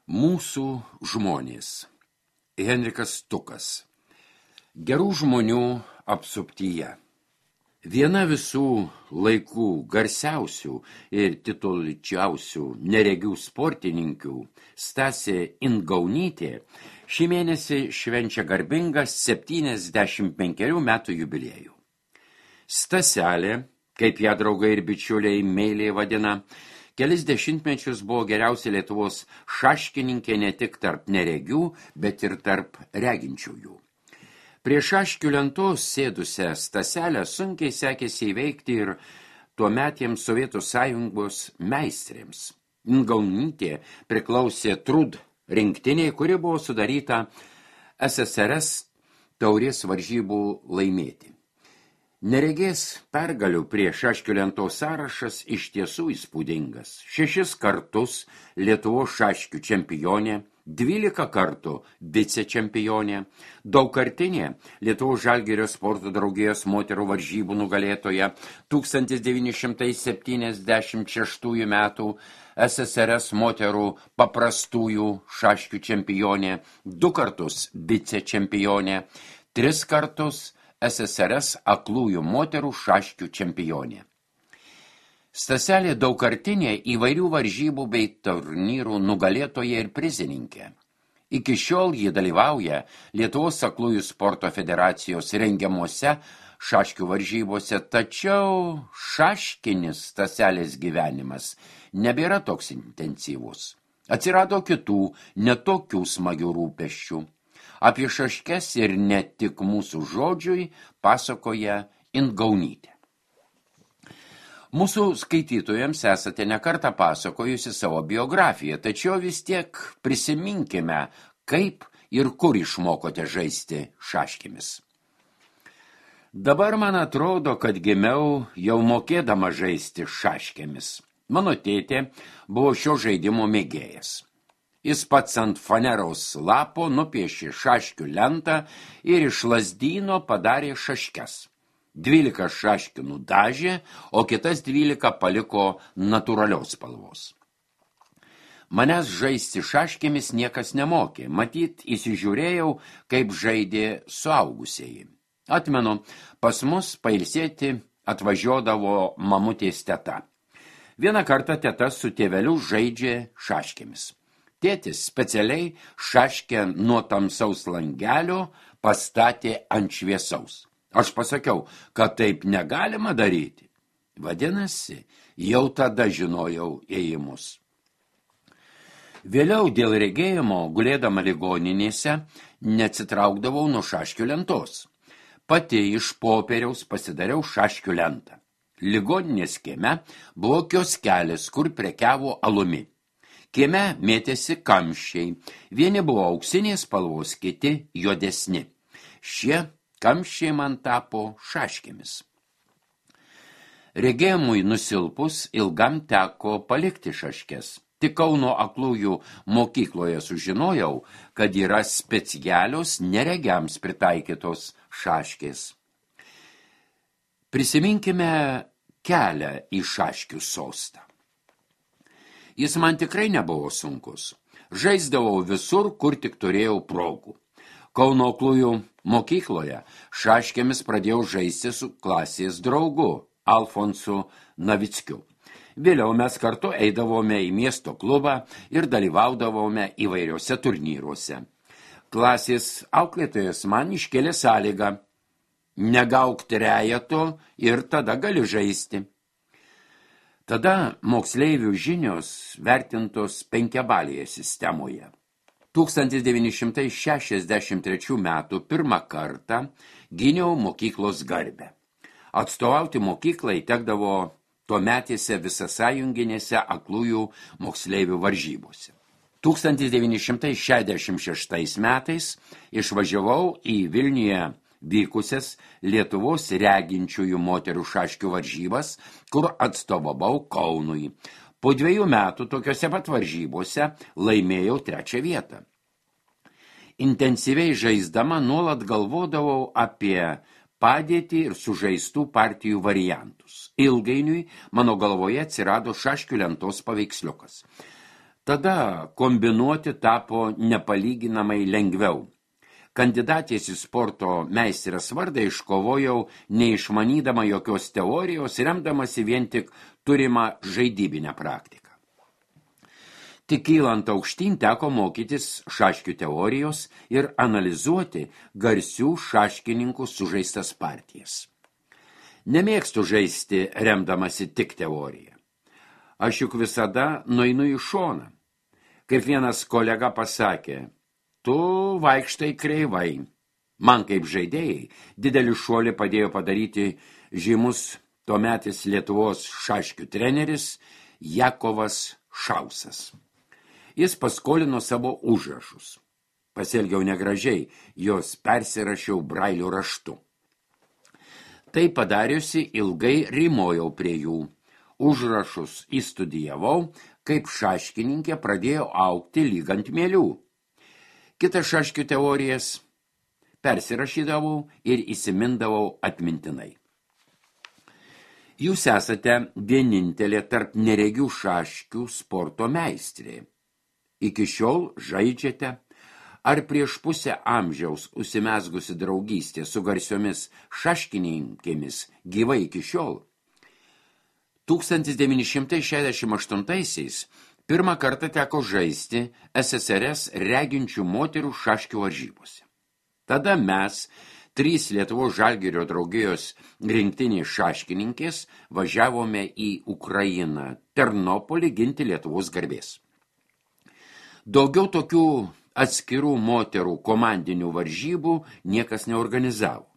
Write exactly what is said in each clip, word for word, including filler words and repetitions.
Mūsų žmonės. Henrikas Stukas. Gerų žmonių apsuptyje. Viena visų laikų garsiausių ir tituličiausių neregių sportininkių, Stasė Ingaunytė, šį mėnesį švenčia garbingą septyniasdešimt penkerių metų jubiliejų. Staselė, kaip ją draugai ir bičiuliai meiliai vadina, kelis dešimtmečius buvo geriausia Lietuvos šaškininkė ne tik tarp neregių, bet ir tarp reginčiųjų. Prie šaškių lentos sėdusią Staselę sunkiai sekėsi įveikti ir tuometiems Sovietų Sąjungos meistrėms. Ingaunytė priklausė Trud rinktiniai, kuri buvo sudaryta S S R S taurės varžybų laimėti. Neregės pergalių prie šaškių lentos sąrašas iš tiesų įspūdingas. Šešis kartus Lietuvos šaškių čempionė, dvylika kartų vicečempionė, daugkartinė Lietuvos Žalgirio sporto draugijos moterų varžybų nugalėtoja, tūkstantis devyni šimtai septyniasdešimt šeštųjų metų S S R S moterų paprastųjų šaškių čempionė, du kartus vicečempionė, tris kartus S S R S aklųjų moterų šaškių čempionė. Staselė daugkartinė įvairių varžybų bei turnyrų nugalėtoja ir prizininkė. Iki šiol ji dalyvauja Lietuvos aklųjų sporto federacijos rengiamuose šaškių varžybose, tačiau šaškinis Staselės gyvenimas nebėra toks intensyvus. Atsirado kitų, netokių smagių rūpesčių. Apie šaškes ir ne tik mūsų žodžiui pasakoja Ingaunytė. Mūsų skaitytojams esate nekartą pasakojusi savo biografiją, tačiau vis tiek prisiminkime, kaip ir kur išmokote žaisti šaškėmis. Dabar man atrodo, kad gimiau jau mokėdama žaisti šaškėmis. Mano tėtė buvo šio žaidimo mėgėjas. Jis pats ant faneros lapo nupiešė šaškių lentą ir iš lazdyno padarė šaškes. Dvylika šaškių nudažė, o kitas dvylika paliko natūralios spalvos. Manęs žaisti šaškėmis niekas nemokė, matyt, įsižiūrėjau, kaip žaidė suaugusieji. Atmenu, pas mus pailsėti atvažiuodavo mamutės teta. Vieną kartą teta su tėveliu žaidžia šaškėmis. Tėtis specialiai šaškę nuo tamsaus langelio pastatė ant šviesaus. Aš pasakiau, kad taip negalima daryti. Vadinasi, jau tada žinojau ėjimus. Vėliau dėl regėjimo, gulėdama ligoninėse, neatsitraukdavau nuo šaškių lentos. Pati iš popieriaus pasidariau šaškių lentą. Ligoninės kieme buvo kioskelis, kur prekiavo alumi. Kieme mėtėsi kamščiai, vieni buvo auksinės spalvos, kiti juodesni. Šie kamščiai man tapo šaškėmis. Regėjimui nusilpus ilgam teko palikti šaškes. Tik Kauno aklųjų mokykloje sužinojau, kad yra specialios neregiams pritaikytos šaškės. Prisiminkime kelią į šaškių sostą. Jis man tikrai nebuvo sunkus. Žaisdavau visur, kur tik turėjau progų. Kauno aklųjų mokykloje šaškėmis pradėjau žaisti su klasės draugu, Alfonsu Navickiu. Vėliau mes kartu eidavome į miesto klubą ir dalyvaudavome įvairiuose turnyruose. Klasės auklėtojas man iškėlė sąlygą: negauk trejeto ir tada gali žaisti. Tada moksleivių žinios vertintos penkiabalėje sistemoje. tūkstantis devyni šimtai šešiasdešimt trečių metų pirmą kartą gyniau mokyklos garbę. Atstovauti mokyklai tekdavo tuometėse visasąjunginėse aklųjų moksleivių varžybose. tūkstantis devyni šimtai šešiasdešimt šeštais metais išvažiavau į Vilniuje vykusias Lietuvos reginčiųjų moterų šaškių varžybas, kur atstovavau Kaunui. Po dviejų metų tokiose pat varžybose laimėjau trečią vietą. Intensyviai žaisdama nuolat galvodavau apie padėtį ir sužaistų partijų variantus. Ilgainiui mano galvoje atsirado šaškių lentos paveiksliukas. Tada kombinuoti tapo nepalyginamai lengviau. Kandidatės į sporto meistrės vardą iškovojau neišmanydama jokios teorijos, remdamasi vien tik turimą žaidybinę praktiką. Tik kylant aukštyn teko mokytis šaškių teorijos ir analizuoti garsių šaškininkų sužaistas partijas. Nemėgstu žaisti remdamasi tik teoriją. Aš juk visada nueinu į šoną. Kaip vienas kolega pasakė, tu vaikštai kreivai. Man kaip žaidėjai didelį šuolį padėjo padaryti žymus tuometis Lietuvos šaškių treneris Jakovas Šausas. Jis paskolino savo užrašus. Pasielgiau negražiai, jos persirašiau brailio raštu. Tai padariusi ilgai rymojau prie jų. Užrašus įstudijavau, kaip šaškininkė pradėjo augti lyg ant mielių. Kitas šaškių teorijas persirašydavau ir įsimindavau atmintinai. Jūs esate vienintelė tarp neregių šaškių sporto meistrė. Iki šiol žaidžiate, ar prieš pusę amžiaus užsimezgusi draugystė su garsiomis šaškininkėmis gyvai iki šiol? tūkstantis devyni šimtai šešiasdešimt aštuntaisiais pirmą kartą teko žaisti S S R S reginčių moterų šaškių varžybose. Tada mes, trys Lietuvos Žalgirio draugijos rinktinės šaškininkės, važiavome į Ukrainą, Ternopolį ginti Lietuvos garbės. Daugiau tokių atskirų moterų komandinių varžybų niekas neorganizavo.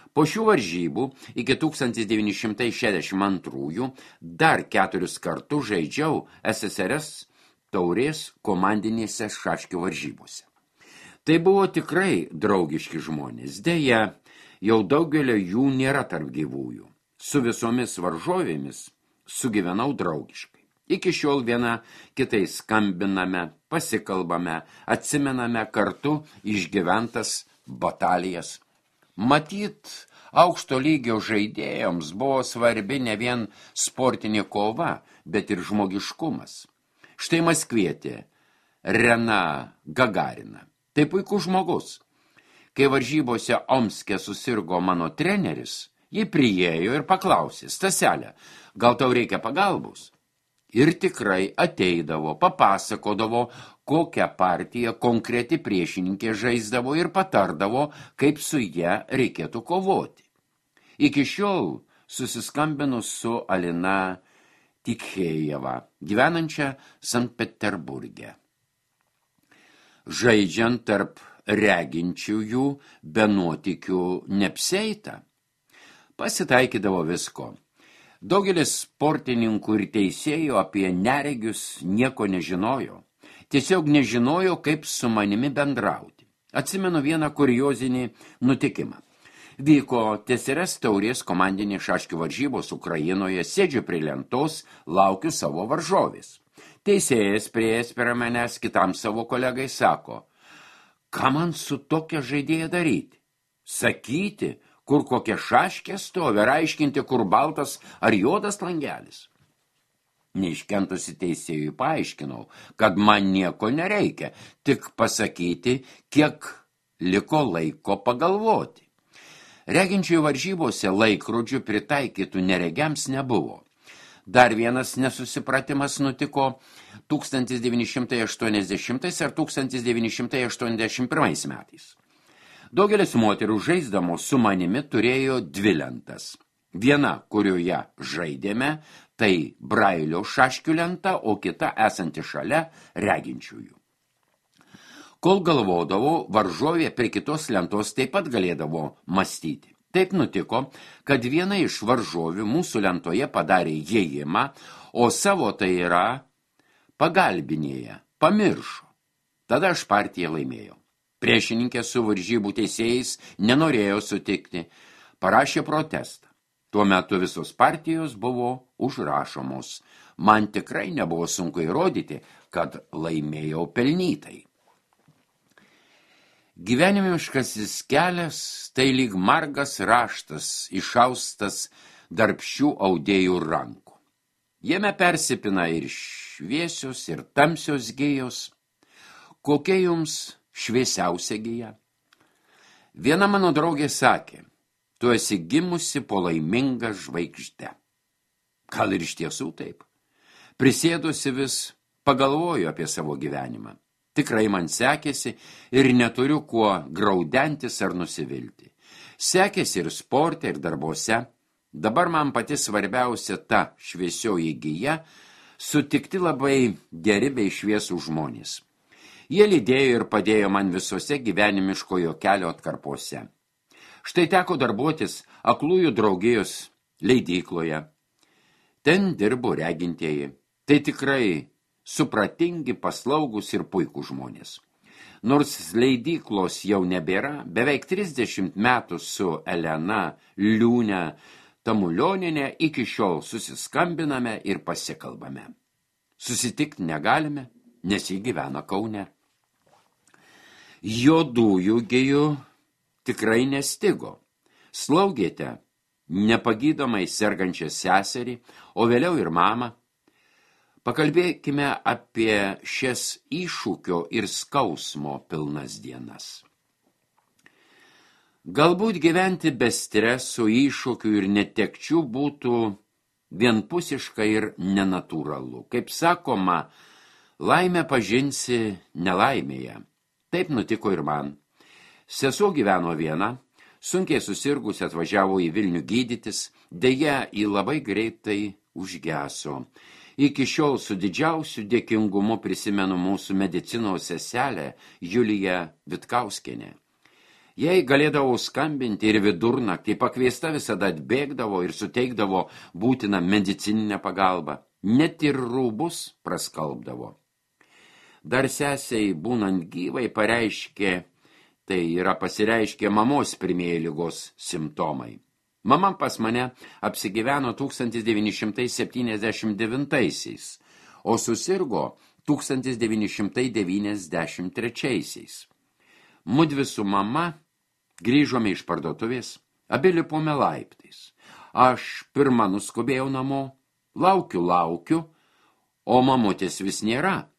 Po šių varžybų iki tūkstantis devyni šimtai šešiasdešimt antrųjų dar keturis kartus žaidžiau S S R S taurės komandinėse šaškių varžybose. Tai buvo tikrai draugiški žmonės. Deja, jau daugelio jų nėra tarp gyvųjų. Su visomis varžovėmis sugyvenau draugiškai. Iki šiol viena kitai skambiname, pasikalbame, atsimename kartu išgyventas batalijas. Matyt, aukšto lygio žaidėjams buvo svarbi ne vien sportinė kova, bet ir žmogiškumas. Štai Maskvietė, Rena Gagarina. Tai puikus žmogus. Kai varžybose Omske susirgo mano treneris, ji priėjo ir paklausė, Staselė, gal tau reikia pagalbos? Ir tikrai ateidavo, papasakodavo, kokią partiją konkreti priešininkė žaisdavo ir patardavo, kaip su ja reikėtų kovoti. Iki šiol susiskambinu su Alina Tikhėjeva, gyvenančia Sankt Peterburge. Žaidžiant tarp reginčiųjų be nuotykių neapsieita. Pasitaikydavo visko. Daugelis sportininkų ir teisėjų apie neregius nieko nežinojo. Tiesiog nežinojo, kaip su manimi bendrauti. Atsimenu vieną kuriozinį nutikimą. Vyko T S R S taurės komandinės šaškių varžybos Ukrainoje, sėdžiu prie lentos, laukiu savo varžovės. Teisėjas prieėjęs prie manęs kitam savo kolegai sako, ką man su tokia žaidėja daryti? Sakyti, kur kokia šaškė stovi, ar aiškinti, kur baltas ar juodas langelis. Neiškentusi teisėjui paaiškinau, kad man nieko nereikia, tik pasakyti, kiek liko laiko pagalvoti. Reginčiųjų varžybose laikrodžių pritaikytų neregiams nebuvo. Dar vienas nesusipratimas nutiko tūkstantis devyni šimtai aštuoniasdešimtais ar tūkstantis devyni šimtai aštuoniasdešimt pirmais metais. Daugelis moterų žaisdamos su manimi turėjo dvi lentas. Viena, kurioje žaidėme, tai brailio šaškių lenta, o kita esanti šalia reginčiųjų. Kol galvodavau, varžovė prie kitos lentos taip pat galėdavo mąstyti. Taip nutiko, kad viena iš varžovių mūsų lentoje padarė įėjimą, o savo tai yra pagalbinėje, pamiršo. Tada aš partiją laimėjau. Priešininkė su varžybų teisėjais nenorėjo sutikti, parašė protestą. Tuo metu visos partijos buvo užrašomos. Man tikrai nebuvo sunku įrodyti, kad laimėjau pelnytai. Gyvenimiškasis kelias tai lyg margas raštas, išaustas darbščių audėjų rankų. Jame persipina ir šviesios ir tamsios gijos. Kokia jums šviesiausia gija? Viena mano draugė sakė, tu esi gimusi po laimingą žvaigždę. Gal ir iš tiesų taip? Prisėdusi vis pagalvoju apie savo gyvenimą. Tikrai man sekėsi ir neturiu kuo graudentis ar nusivilti. Sekėsi ir sporte, ir darbuose. Dabar man pati svarbiausia ta šviesioji gija sutikti labai geri bei šviesų žmonės. Jie lydėjo ir padėjo man visose gyvenimiškojo kelio atkarpose. Štai teko darbuotis Aklųjų draugijos leidykloje. Ten dirbo regintieji. Tai tikrai supratingi, paslaugus ir puikų žmonės. Nors leidyklos jau nebėra, beveik trisdešimt metų su Elena Liūne Tamulioninė iki šiol susiskambiname ir pasikalbame. Susitikti negalime, nes ji gyvena Kaune. Juodųjų gijų tikrai nestigo. Slaugėte nepagydomai sergančią seserį, o vėliau ir mamą. Pakalbėkime apie šias iššūkio ir skausmo pilnas dienas. Galbūt gyventi be streso, iššūkių ir netekčių būtų vienpusiška ir nenatūralu. Kaip sakoma, laimę pažinsi nelaimėje. Taip nutiko ir man. Sesuo gyveno viena, sunkiai susirgus atvažiavo į Vilnių gydytis, deja į labai greitai užgeso. Iki šiol su didžiausiu dėkingumu prisimenu mūsų medicinos seselę Juliją Vitkauskienę. Jei galėdavau skambinti ir vidurnaktį, pakviesta visada atbėgdavo ir suteikdavo būtiną medicininę pagalbą. Net ir rūbus praskalbdavo. Dar sesiai būnant gyvai pareiškė, tai yra pasireiškė mamos pirmieji ligos simptomai. Mama pas mane apsigyveno tūkstantis devyni šimtai septyniasdešimt devintaisiais, o susirgo tūkstantis devyni šimtai devyniasdešimt trečiaisiais. Mudvi su mama grįžome iš parduotuvės, abi lipome laiptais. Aš pirma nuskubėjau namo, laukiu, laukiu, o mamutės vis nėra.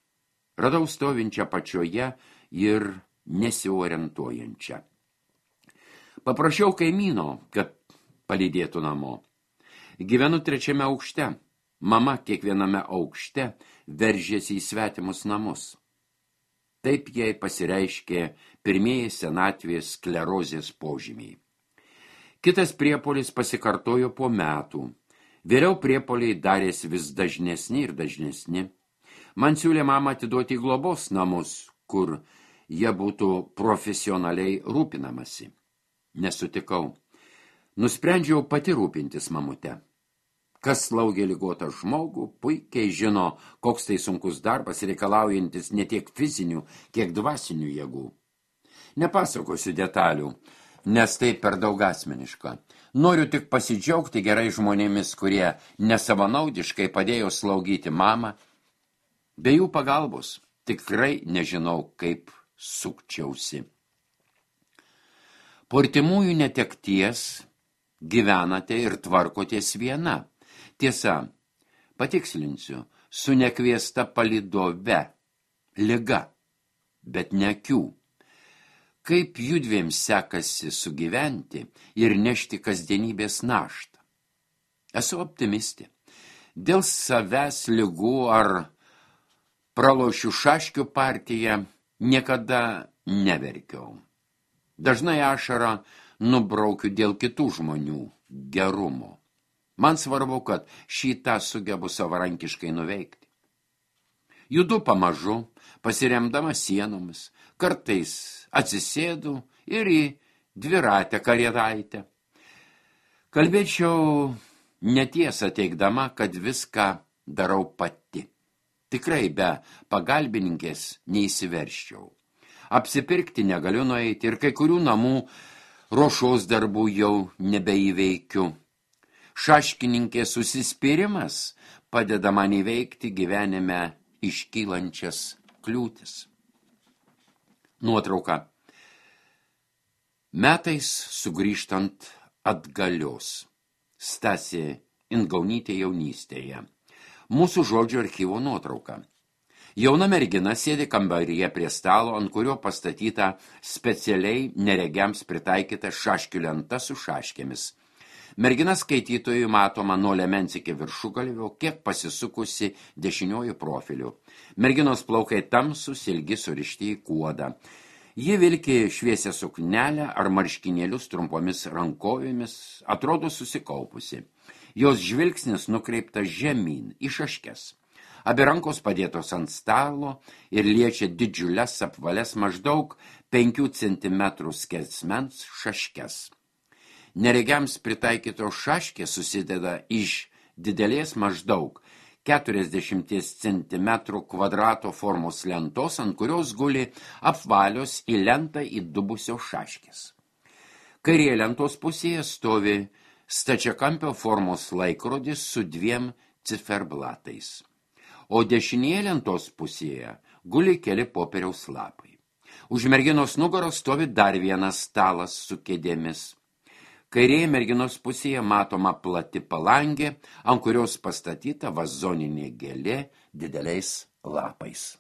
Radau stovinčią pačioje ir nesiorientuojančią. Paprašiau kaimyno, kad palydėtų namo. Gyvenu trečiame aukšte. Mama kiekviename aukšte veržėsi į svetimus namus. Taip jai pasireiškė pirmieji senatvės sklerozės požymiai. Kitas priepuolis pasikartojo po metų. Vėliau priepuoliai darėsi vis dažnesni ir dažnesni. Man siūlė mamą atiduoti į globos namus, kur jie būtų profesionaliai rūpinamasi. Nesutikau. Nusprendžiau pati rūpintis mamute. Kas slaugė ligotą žmogų, puikiai žino, koks tai sunkus darbas reikalaujantis ne tiek fizinių, kiek dvasinių jėgų. Nepasakosiu detalių, nes tai per daug asmeniška. Noriu tik pasidžiaugti gerai žmonėmis, kurie nesavanaudiškai padėjo slaugyti mamą. Be jų pagalbos tikrai nežinau, kaip sukčiausi. Po artimųjų netekties gyvenate ir tvarkotės viena. Tiesa, patikslinsiu, su nekviesta palydove, liga, bet ne akių. Kaip judviems sekasi sugyventi ir nešti kasdienybės naštą? Esu optimistė. Dėl savęs ligų ar pralošiu šaškių partiją niekada neverkiau. Dažnai ašarą nubraukiu dėl kitų žmonių gerumo. Man svarbu, kad šitą sugebu savarankiškai nuveikti. Judu pamažu, pasiremdama sienomis, kartais atsisėdu ir į dviratę karietaitę. Kalbėčiau netiesą teigdama, kad viską darau pati. Tikrai be pagalbininkės neįsiverščiau. Apsipirkti negaliu nueiti ir kai kurių namų ruošos darbų jau nebeįveikiu. Šaškininkės susispyrimas padeda man įveikti gyvenime iškylančias kliūtis. Nuotrauka. Metais sugrįžtant atgalios. Stasė Ingaunytė jaunystėje. Mūsų žodžio archyvo nuotrauka. Jauna mergina sėdi kambaryje prie stalo, ant kurio pastatyta specialiai neregiams pritaikyta šaškių lenta su šaškėmis. Mergina skaitytojui matoma nuo liemens iki viršugalvio, kiek pasisukusi dešiniuoju profiliu. Merginos plaukai tamsūs, ilgi surišti į kuodą. Ji vilki šviesią suknelę ar marškinėlius trumpomis rankovėmis, atrodo susikaupusi. Jos žvilgsnis nukreiptas žemyn į šaškes. Abi rankos padėtos ant stalo ir liečia didžiules apvales maždaug penkių centimetrų skersmens šaškes. Neregiams pritaikytos šaškės susideda iš didelės maždaug keturiasdešimt centimetrų kvadrato formos lentos, ant kurios guli apvalios į lentą įdubusios šaškės. Kairėje lentos pusėje stovi stačiakampio formos laikrodis su dviem ciferblatais, o dešinėje lentos pusėje guli keli popieriaus lapai. Už merginos nugaros stovi dar vienas stalas su kėdėmis. Kairėje merginos pusėje matoma plati palangė, ant kurios pastatyta vazoninė gėlė dideliais lapais.